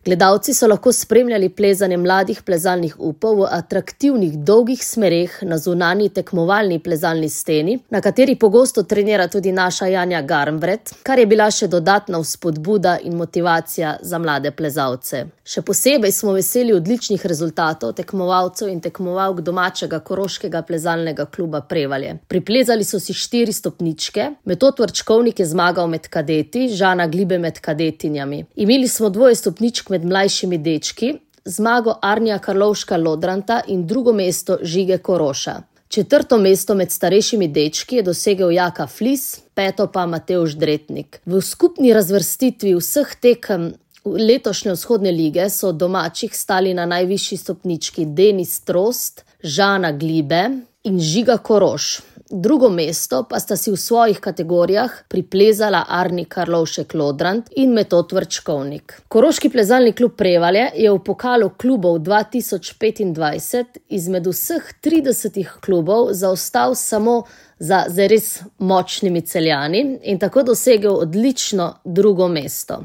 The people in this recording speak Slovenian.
Gledalci so lahko spremljali plezanje mladih plezalnih upov v atraktivnih dolgih smereh na zunanji tekmovalni plezalni steni, na kateri pogosto trenira tudi naša Janja Garnbret, kar je bila še dodatna vzpodbuda in motivacija za mlade plezalce. Še posebej smo veseli odličnih rezultatov tekmovalcev in tekmovalk domačega koroškega plezalnega kluba Prevalje. Priplezali so si 4 stopničke, Metod Vrčkovnik je zmagal med kadeti, Žana Glibe med kadetinjami. Imeli smo 2 stopničk med mlajšimi dečki, zmago Arnija Karlovška-Lodrantha in 2. mesto Žige Koroša. 4. mesto med starejšimi dečki je dosegel Jaka Flis, 5. pa Matevž Dretnik. V skupni razvrstitvi vseh tekem letošnje vzhodne lige so domačih stali na najvišji stopnički Denis Trost, Žana Glibe in Žiga Koroš. 2. mesto pa sta si v svojih kategorijah priplezala Arni Karlovšek-Lodrant in Metod Vrčkovnik. Koroški plezalni klub Prevalje je v pokalu klubov 2025 izmed vseh 30 klubov zaostal samo za zares močnimi Celjani in tako dosegel odlično 2. mesto.